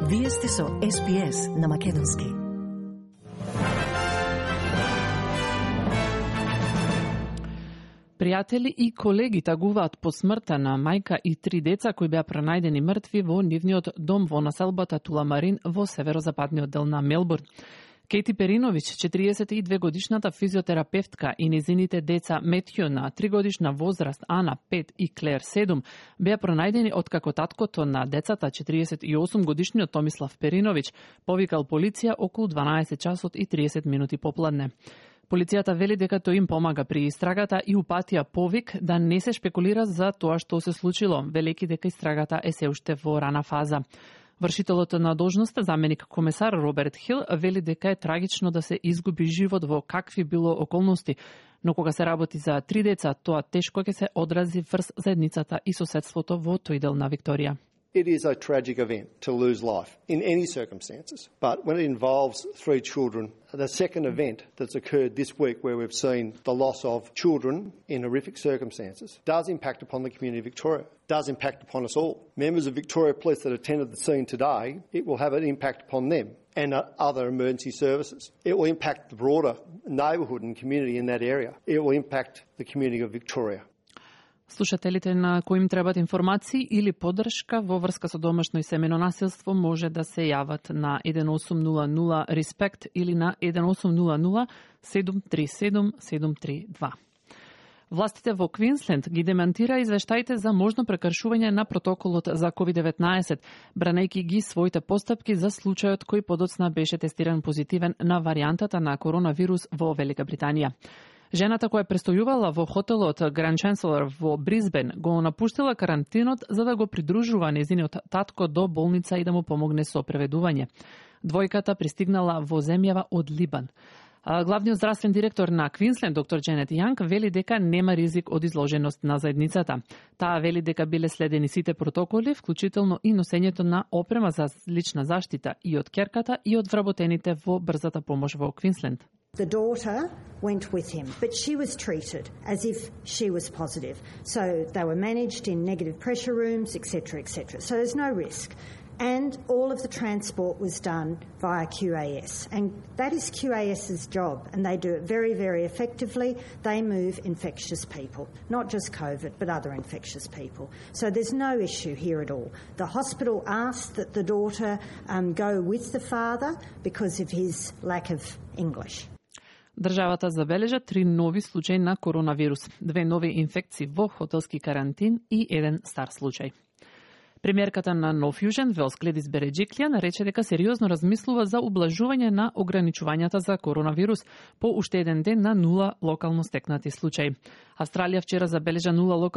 Вие сте со СПС на Македонски. Пријатели и колеги тагуваат по смртта на мајка и 3 деца кои беа пронајдени мртви во нивниот дом во населбата Туламарин во северозападниот дел на Мелбурн. Кейти Перинович, 42 годишната физиотерапевтка и незините деца Метју на 3 годишна возраст, Ана 5 и Клер 7, беа пронајдени откако таткото на децата, 48 годишниот Томислав Перинович, повикал полиција околу 12 часот и 30 минути попладне. Полицијата вели дека тој им помага при истрагата и упатија повик да не се шпекулира за тоа што се случило, велејќи дека истрагата е се уште во рана фаза. Вршителот на должноста, заменик комесар Роберт Хил, вели дека е трагично да се изгуби живот во какви било околности, но кога се работи за 3 деца, тоа тешко ќе се одрази врз заедницата и соседството во тој дел на Викторија. It is a tragic event to lose life in any circumstances, but when it involves 3 children, the second event that's occurred this week where we've seen the loss of children in horrific circumstances does impact upon the community of Victoria, does impact upon us all. Members of Victoria Police that attended the scene today, it will have an impact upon them and other emergency services. It will impact the broader neighbourhood and community in that area. It will impact the community of Victoria. Слушателите на кои им требат информации или поддршка во врска со домашно и семено насилство може да се јават на 1800 RESPECT или на 1800 737 732. Властите во Квинсленд ги демантира извештаите за можно прекршување на протоколот за COVID-19, бранејќи ги своите постапки за случајот кој подоцна беше тестиран позитивен на варијантата на коронавирус во Велика Британија. Жената која престојувала во хотелот Grand Chancellor во Брисбен го напуштила карантинот за да го придружува незиниот татко до болница и да му помогне со преведување. Двојката пристигнала во земјава од Либан. Главниот здравствен директор на Квинсленд, доктор Дженет Јанг, вели дека нема ризик од изложеност на заедницата. Таа вели дека биле следени сите протоколи, вклучително и носењето на опрема за лична заштита и од ќерката и од вработените во брзата помош во Квинсленд. The daughter went with him, but she was treated as if she was positive. So they were managed in negative pressure rooms, etc., etc. So there's no risk. And all of the transport was done via QAS. And that is QAS's job, and they do it very, very effectively. They move infectious people, not just COVID, but other infectious people. So there's no issue here at all. The hospital asked that the daughter go with the father because of his lack of English. Државата забележа 3 нови случаи на коронавирус, 2 нови инфекции во хотелски карантин и 1 стар случај. Премиерката на Нов Јужен Велс Гледис Береджиклијан рече дека сериозно размислува за ублажување на ограничувањата за коронавирус по уште еден ден на 0 локално стекнати случаи. Австралија вчера забележа 0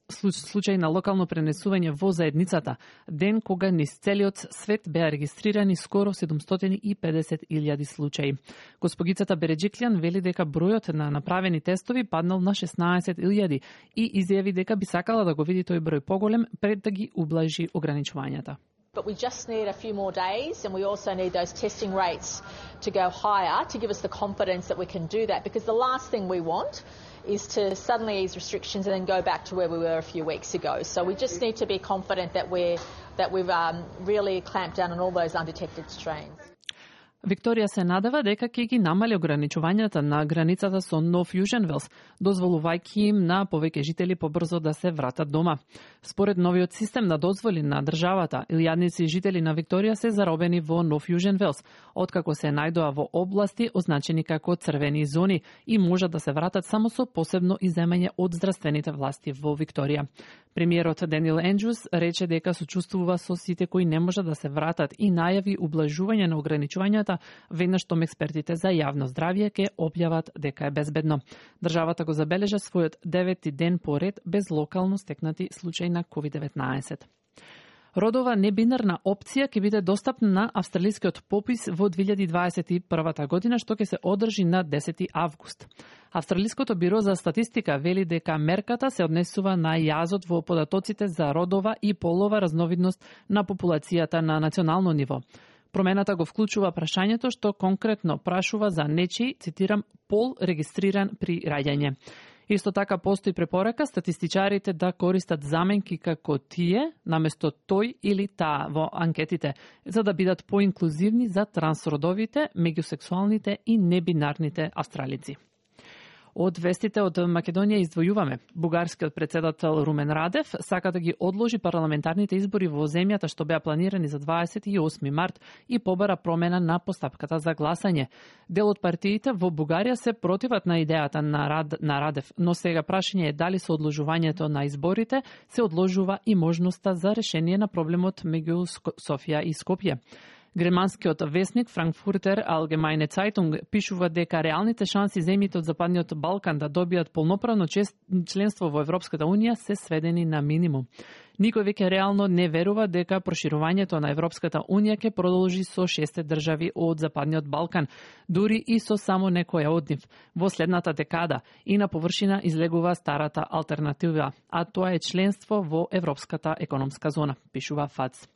случај на локално пренесување во заедницата, ден кога низ целиот свет беа регистрирани скоро 750.000 случаи. Госпогицата Береджиклијан вели дека бројот на направени тестови паднал на 16.000 и изјави дека би сакала да го види тој број поголем пред да ги ублажи ограничувањата. But we just need a few more days, and we also need those testing rates to go higher to give us the confidence that we can do that, because the last thing we want is to suddenly ease restrictions and then go back to where we were a few weeks ago. So we just need to be confident that we've really clamped down on all those undetected strains. Викторија се надева дека ќе ги намали ограничувањата на границата со Нов Јужен Велс, дозволувајќи им на повеќе жители побрзо да се вратат дома. Според новиот систем на дозволи на државата, илјадници жители на Викторија се заробени во Нов Јужен Велс, откако се најдоа во области означени како црвени зони и можат да се вратат само со посебно иземање од здравствените власти во Викторија. Премиерот Даниел Ендрюс рече дека сочувствува со сите кои не можат да се вратат и најави ублажување на ограничувањата веднаш што експертите за јавно здравје ќе објават дека е безбедно. Државата го забележа својот 9-ти ден поред без локално стекнати случаи на COVID-19. Родова небинарна опција ќе биде достапна на австралискиот попис во 2021 година, што ќе се одржи на 10 август. Австралиското биро за статистика вели дека мерката се однесува на јазот во податоците за родова и полова разновидност на популацијата на национално ниво. Промената го вклучува прашањето што конкретно прашува за нечи, цитирам, пол регистриран при раѓање. Исто така постои препорака статистичарите да користат заменки како тие, наместо тој или таа во анкетите, за да бидат поинклузивни за трансродовите, меѓусексуалните и небинарните австралици. Од вестите од Македонија издвојуваме. Бугарскиот председател Румен Радев сака да ги одложи парламентарните избори во земјата што беа планирани за 28 март и побара промена на постапката за гласање. Дел од партиите во Бугарија се противат на идејата на Радев, но сега прашање е дали со одложувањето на изборите се одложува и можноста за решение на проблемот меѓу Софија и Скопје. Германскиот весник Frankfurter Allgemeine Zeitung пишува дека реалните шанси земјите од Западниот Балкан да добијат полноправно членство во Европската Унија се сведени на минимум. Никој веќе реално не верува дека проширувањето на Европската Унија ќе продолжи со 6 држави од Западниот Балкан, дури и со само некоја од нив. Во следната декада и на површина излегува старата алтернатива, а тоа е членство во Европската економска зона, пишува ФАЦ.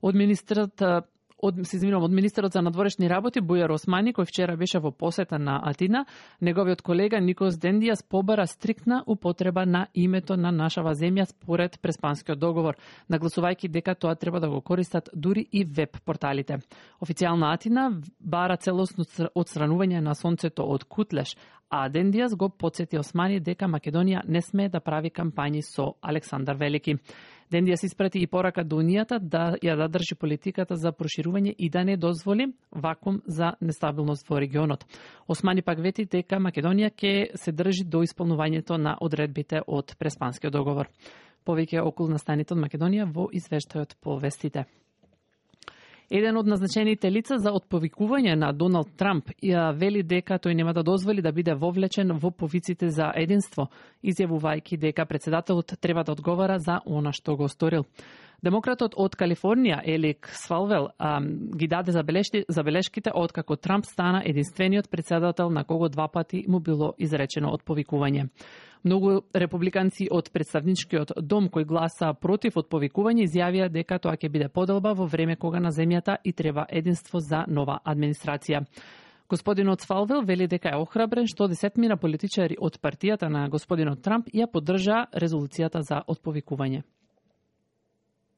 Од министерот за надворешни работи Бујар Османи, кој вчера беше во посета на Атина, неговиот колега Никос Дендијас побара стриктна употреба на името на нашава земја според Преспанскиот договор, нагласувајќи дека тоа треба да го користат дури и веб порталите. Официјална Атина бара целосно отстранување на сонцето од Кутлеш, а Дендијас го потсети Османи дека Македонија не смее да прави кампањи со Александар Велики. Дендијас испрати и порака до Унијата да ја задржи политиката за проширување и да не дозволи вакуум за нестабилност во регионот. Османи пак вети дека Македонија ќе се држи до исполнувањето на одредбите од Преспанскиот договор. Повеќе околу настаните од Македонија во извештајот по вестите. Еден од назначените лица за отповикување на Доналд Трамп ја вели дека тој нема да дозволи да биде вовлечен во повиците за единство, изјавувајќи дека председателот треба да одговара за она што го сторил. Демократот од Калифорнија, Елик Свалвел, ги даде забелешките откако Трамп стана единствениот председател на кого 2 пати му било изречено отповикување. Многу републиканци од представничкиот дом кои гласа против отповикување изјавија дека тоа ќе биде поделба во време кога на земјата и треба единство за нова администрација. Господинот Свалвел вели дека е охрабрен што 10 политичари од партијата на господинот Трамп ја поддржаа резолуцијата за отповикување.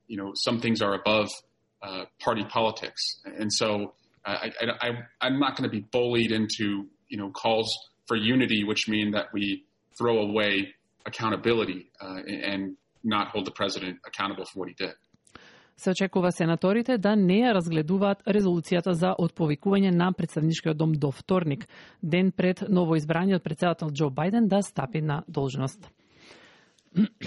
You know, some things are above party politics, and so I'm not going to be bullied into, you know, calls for unity, which mean that we throw away accountability and not hold the president accountable for what he did. Се очекува сенаторите да не ја разгледуваат резолуцијата за отповикување на представничкиот дом до вторник, ден пред новоизбраниот председател Џо Бајден да стапи на должност.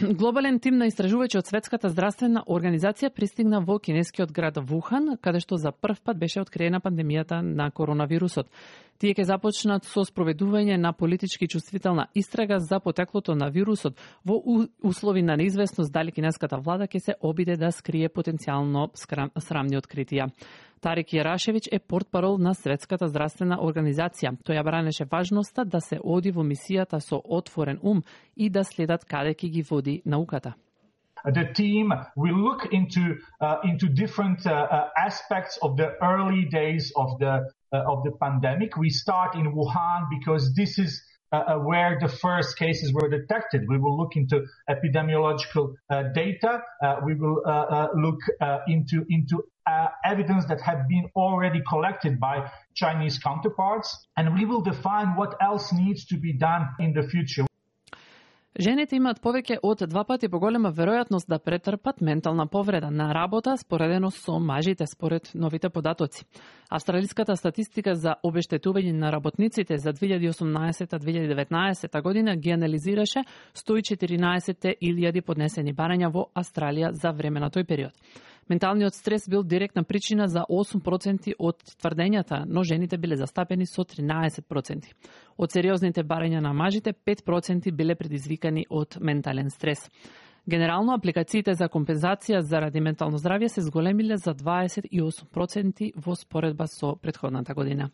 Глобален тим на истражувачи од Светската здравствена организација пристигна во кинескиот град Вухан, каде што за прв пат беше откриена пандемијата на коронавирусот. Тие ќе започнат со спроведување на политички чувствителна истрага за потеклото на вирусот во услови на неизвестност дали кинеската влада ќе се обиде да скрие потенцијално срамни откритија. Тарик Јарашевиќ е портпарол на Светската здравствена организација. Тој ја бранеше важноста да се оди во мисијата со отворен ум и да следат каде ќе ги води науката. The team will look into different aspects of the early days of the pandemic. We start in Wuhan because this is where the first cases were detected. We will look into epidemiological data. We will look into evidence that have been already collected by Chinese counterparts, and we will define what else needs to be done in the future. Жените имаат повеќе од 2 пати поголема веројатност да претрпат ментална повреда на работа споредено со мажите според новите податоци. Австралиската статистика за обештетување на работниците за 2018-2019 година ги анализираше 114.000 поднесени барања во Австралија за време на тој период. Менталниот стрес бил директна причина за 8% од тврдењата, но жените биле застапени со 13%. Од сериозните барања на мажите, 5% биле предизвикани од ментален стрес. Генерално, апликациите за компензација заради ментално здравје се зголемиле за 28% во споредба со претходната година.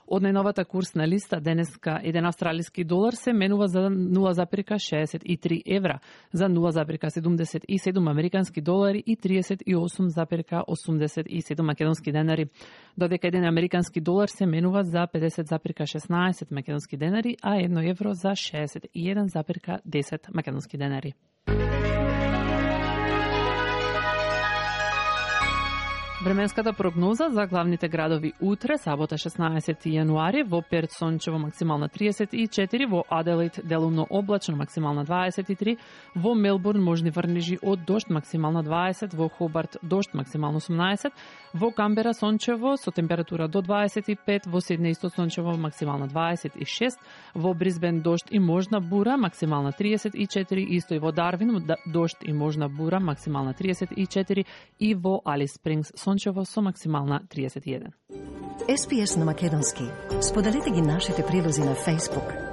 Од најновата курсна листа денеска 1 австралиски долар се менува за 0,63 евра, за 0,77 американски долари и 38,87 македонски денари, додека 1 американски долар се менува за 50,16 македонски денари, а 1 евро за 61,10 македонски денари. Временската прогноза за главните градови утре, сабота 16 јануари, во Перт сончево максимална 34, во Аделаид делумно облачно максимална 23, во Мелбурн можни врнежи од дожд максимална 20, во Хобарт дожд максимално 18, во Камбера сончево со температура до 25, во Сиднеј исто сончево максимална 26, во Брисбен дожд и можна бура максимална 34, исто и во Дарвин дожд и можна бура максимална 34 и во Алис Спрингс сончево со максимална 31. SPS на македонски. Споделете ги нашите прилози на Facebook,